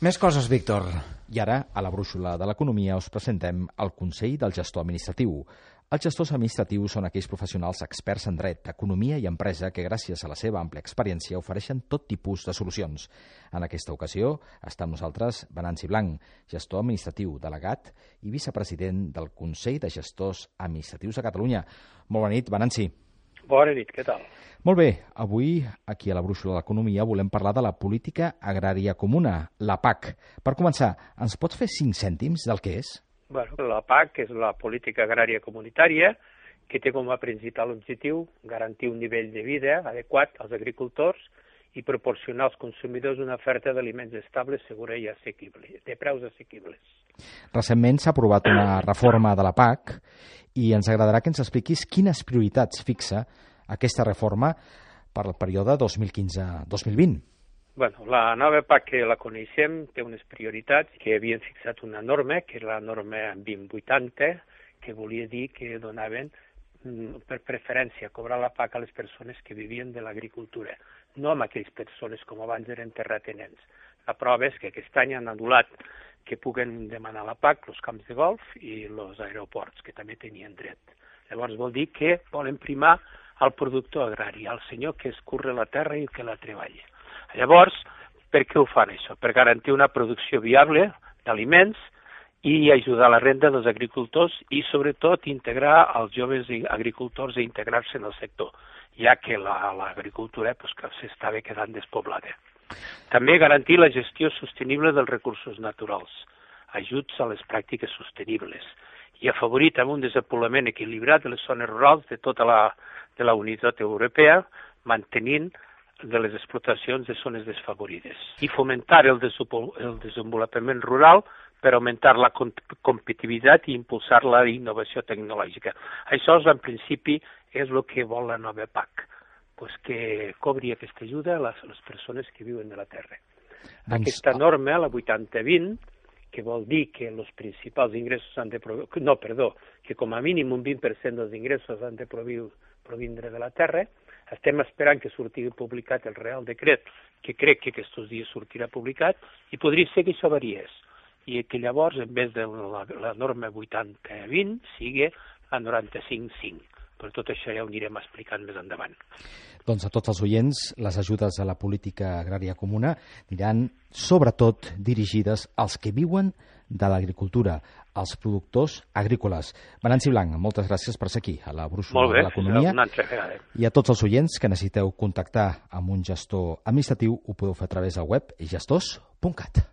Més coses, Víctor. I ara, a la brúixola de l'economia, us presentem el Consell del Gestor Administratiu. Els gestors administratius són aquells professionals experts en dret, economia i empresa que, gràcies a la seva àmplia experiència, ofereixen tot tipus de solucions. En aquesta ocasió està amb nosaltres Venanci Blanc, gestor administratiu, delegat i vicepresident del Consell de Gestors Administratius de Catalunya. Molt bona nit, Venanci. Bona nit, què tal? Molt bé, avui, aquí a la brúixola de l'economia, volem parlar de la política agrària comuna, la PAC. Per començar, ens pots fer 5 cèntims del que és? Bueno, la PAC és la política agrària comunitària que té com a principal objectiu garantir un nivell de vida adequat als agricultors i proporcionar als consumidors una oferta d'aliments estable, segura i assequible, de preus assequibles. Recentment s'ha aprovat una reforma de la PAC i ens agradarà que ens expliquis quines prioritats fixa aquesta reforma per al període 2015-2020. Bueno, la nova PAC que la coneixem té unes prioritats que havien fixat una norma, que és la norma 2080, que volia dir que donaven per preferència cobrar la PAC a les persones que vivien de l'agricultura, no amb aquelles persones com abans eren terratenents. La prova és que aquest any han anul·lat que puguen demanar la PAC els camps de golf i els aeroports, que també tenien dret. Llavors vol dir que volen primar el productor agrari, el senyor que escurre la terra i que la treballa. Llavors, per què ho fan això? Per garantir una producció viable d'aliments i ajudar a la renda dels agricultors i, sobretot, integrar els joves agricultors a integrar-se en el sector, ja que l'agricultura s'estava quedant despoblada. També garantir la gestió sostenible dels recursos naturals, ajuts a les pràctiques sostenibles i afavorir també un desenvolupament equilibrat de les zones rurals de tota la Unitat Europea, mantenint de les explotacions de zones desfavorides i fomentar el desenvolupament rural per augmentar la competitivitat i impulsar la innovació tecnològica. Això, en principi, és el que vol la nova PAC, que cobri aquesta ajuda a les persones que viuen de la terra. Aquesta norma, la 80-20, que vol dir que els principals ingressos han de que com a mínim un 20% dels ingressos han de provindre de la terra. Estem esperant que surti publicat el Real Decret, que crec que aquests dies sortirà publicat, i podria ser que això variés, i que llavors, en vez de la norma 80-20, sigui la 95-5. Per tot això ja ho anirem explicant més endavant. Doncs a tots els oients, les ajudes a la política agrària comuna aniran sobretot dirigides als que viuen de l'agricultura, als productors agrícoles. Venanci Blanc, moltes gràcies per ser aquí, a la brúixola de l'economia. Una altra vegada. I a tots els oients que necessiteu contactar amb un gestor administratiu, ho podeu fer a través del web gestors.cat.